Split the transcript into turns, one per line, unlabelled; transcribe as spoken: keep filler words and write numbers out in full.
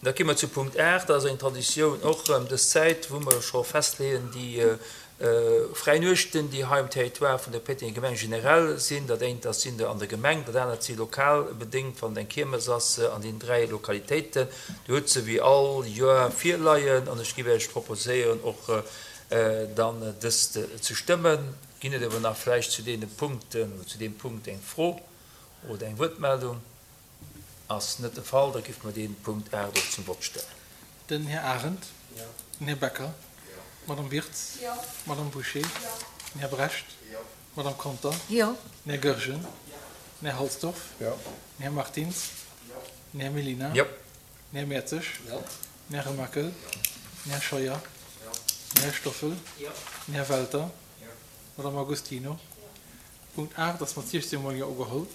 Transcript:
Da gi mer zu Punkt aacht. Dat ass eng Traditioun och erëm dës Zäit, wou mer scho festleeën, déi fräi Nuechten, déi hei um Territoire vun der Pétenger Gemeng generell sinn. Dat eent ass sinn der an der Gemeng, dat anert si lokal bedéngt, wann et eng Kiermes ass an deenen dräi Lokalitéiten. Dir hutt se wéi all Joer virleien an ech géif Iech proposéieren, och dann dëst ze stëmmen. Ginn et awer nach vläicht zu deene Punkten oder zu deem Punkt eng Fro oder eng Wuertmeldung? Ass net de Fall, da géife mer dee Punkt aacht och zum Vott stellen.
Den Här Arendt. Den Här Becker. D'Madame Wirtz. D'Madame Bouché. Den Här Brecht. D'Madame Conter. Den Här Goergen. Den Här Halsdorf. Den Här Martins. Den Här Mellina. Den Här Mertzig. Den Här Remakel. Den Här Scheuer. Den Här Stoffel. Den Här Welter. D'Madame Agostino. Punkt aacht ass mat siechzéng mol Jo ugeholl.